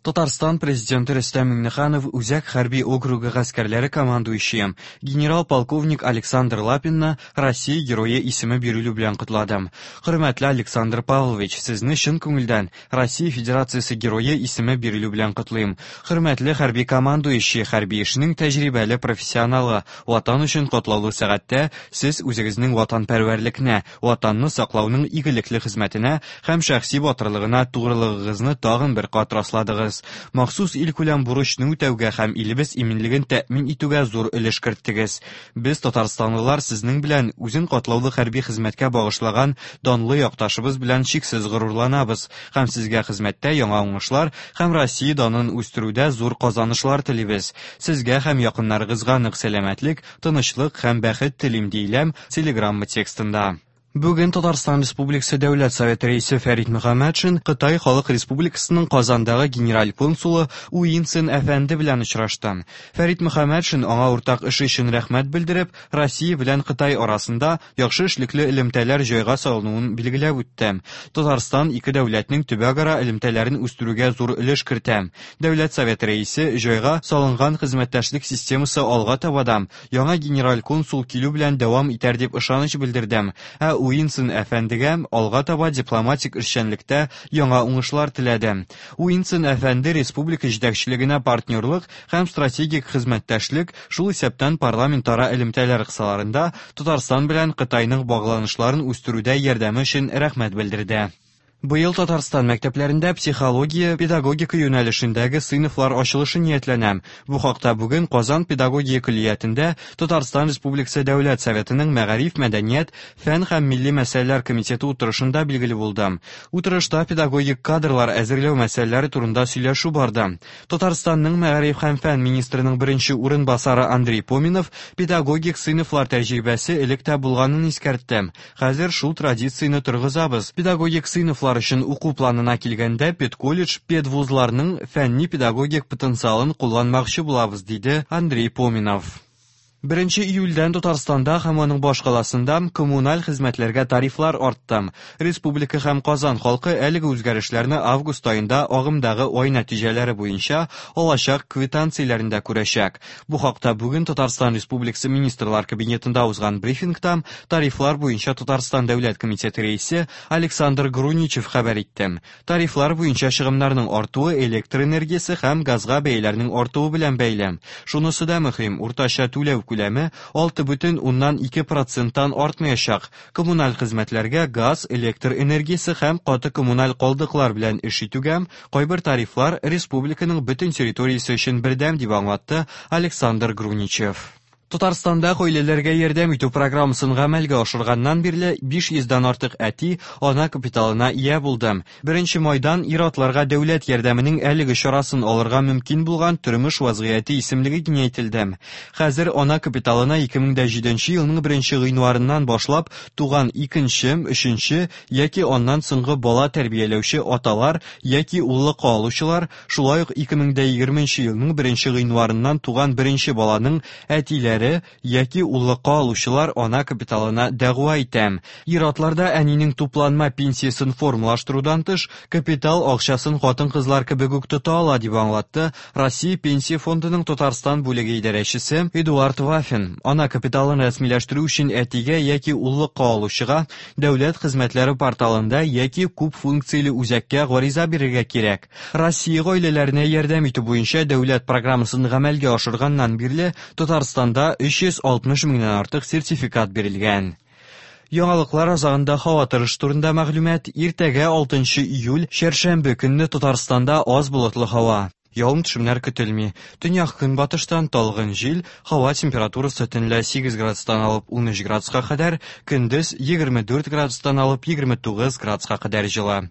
Татарстан Президенты Рөстәм Миңнеханов Үзәк хәрби округы гаскәрләре командующие генерал-полковник Александр Лапинны Россия Герое исеме бирелү белән котлады. Хөрмәтле Александр Павлович, сезне чын күңелдән Россия Федерациясе Герое исеме бирелү белән котлыйм. Хөрмәтле хәрби командующий, хәрби эшнең тәҗрибәле профессионалы, Ватан өчен катлаулы сәгатьтә сез үзегезнең ватанпәрвәрлекне, Ватанны саклауның игелекле хезмәтенә һәм шәхси батырлыгына тугрылыгыгызны тагын бер кат расладыгыз. Махсус илкүләм бурычны үтәүгә һәм илебез иминлеген тәэмин итүгә зур өлеш керттегез. Без, татарстанлылар, сезнең белән, үзен катлаулы хәрби хезмәткә багышлаган данлы якташыбыз белән чиксез горурланабыз һәм сезгә хезмәттә яңа уңышлар һәм Россия данын үстерүдә зур казанышлар телибез. Сезгә һәм якыннарыгызга нык сәламәтлек, тынычлык һәм бәхет телим, диелә телеграмма текстында. Бүген Татарстан Республикасы Дәүләт Советы Рәисе Фәрит Мөхәммәтшин Кытай Халык Республикасының Казандагы генераль консулы Уинсен әфәнде белән очрашты. Фәрит Мөхәммәтшин аңа уртак эше өчен рәхмәт белдереп, Россия белән Кытай арасында яхшы эшлекле элемтәләр җайга салынуын билгеләп үтте. Татарстан ике дәүләтнең төбәкара элемтәләрен үстерүгә зур өлеш кертә. Дәүләт Советы Рәисе җайга салынган хезмәттәшлек системасы алга таба да яңа генераль консул килү белән дәвам итәр дип ышаныч белдерде. Ә Уинсон әфәндегә алга таба дипломатик эшчәнлектә яңа уңышлар теләде. Уинсон әфәнде республика җитәкчелегенә партнерлык һәм стратегик хезмәттәшлек, шул исәптән парламентара элемтәләр кысаларында Татарстан белән Кытайның багланышларын үстерүдә ярдәме өчен рәхмәт белдерде. Быел Татарстан мәктәпләрендә психология, педагогика юнәлешендәге сыйныфлар ачылышы ниятләнә. Бу хакта бүген Казан педагогия көллиятендә Татарстан Республикасы Дәүләт Советының Мәгариф, мәдәният, фән һәм милли мәсьәләләр комитеты утырышында билгеле булды. Утырышта педагогик кадрлар әзерләү мәсьәләләре турында сөйләшү барды. Татарстанның мәгариф һәм фән министрының беренче урынбасары Андрей Поминов педагогик сыйныфлар тәҗрибәсе элек тә булганын искәртте. Хәзер шул традицияне торгызабыз. Педагогик сыйныфлар өчен уку планына килгәндә, педколледж, педвузларның фәнни-педагогик потенциалын кулланмакчы булабыз, диде Андрей Поминов. Беренче июльдән Татарстанда һәм аның башкаласында коммуналь хезмәтләргә тарифлар артты. Республика һәм Казан халкы әлеге үзгәрешләрне август аенда агымдагы ай нәтиҗәләре буенча алачак квитанцияләрендә күрәчәк. Бу хакта бүген Татарстан Республикасы Министрлар Кабинетында узган брифингта тарифлар буенча Татарстан Дәүләт комитеты рәисе Александр Груничев хәбәр итте. Тарифлар буенча чыгымнарның артуы электр энергиясе һәм газга бәяләрнең артуы белән бәйле. Шунысы да мөһим, уртача түләү күләме 6,2 проценттан артмаячак. Коммуналь хезмәтләргә газ, электр энергиясе һәм каты коммуналь калдыклар белән эш итүгә кайбер тарифлар республиканың бөтен территориясе өчен бердәм, дип аңлатты Александр Груничев. Татарстанда гаиләләргә ярдәм итү программасын гамәлгә ашырганнан бирле 500 дән артык әти ана капиталына ия булды. Беренче майдан ир-атларга дәүләт ярдәменең әлеге чарасын алырга мөмкин булган тормыш вазгыяте исемлеге киңәйтелде. Хәзер ана капиталына 2007 елның беренче гыйнварыннан башлап туган икенче, өченче яки аннан соңгы бала тәрбияләүче аталар яки уллыкка алучылар, шулай ук 2020 елның беренче гыйнварыннан туган беренче баланың әтиләре яки уллыкка алучылар ана капиталына дәгъва итә. Ир-атларда әнинең тупланма пенсиясен формалаштырудан тыш, капитал акчасын хатын-кызлар кебек үк тота ала, дип аңлатты Россия Пенсия фондының Татарстан бүлеге идарәчесе Эдуард Вафин. Ана капиталын рәсмиләштерү өчен әтигә яки уллыкка алучыга дәүләт хезмәтләре порталында яки күп функцияле үзәккә гариза бирергә кирәк. Россия гаиләләренә ярдәм итү буенча дәүләт программасын гамәлгә ашырганнан бирле Татарстанда 360 меңнән артык сертификат бирелгән. Яңалыклар азагында һава торышы турында мәгълүмат. Иртәгә 6 июль, чәршәмбе көнне Татарстанда аз болытлы һава. Явым-төшемнәр көтелми. Төньяк-көнбатыштан талгын җил, һава температурасы төнлә 8 градустан алып 13 градуска кадәр, көндез 24 градустан алып 29 градуска кадәр җылы.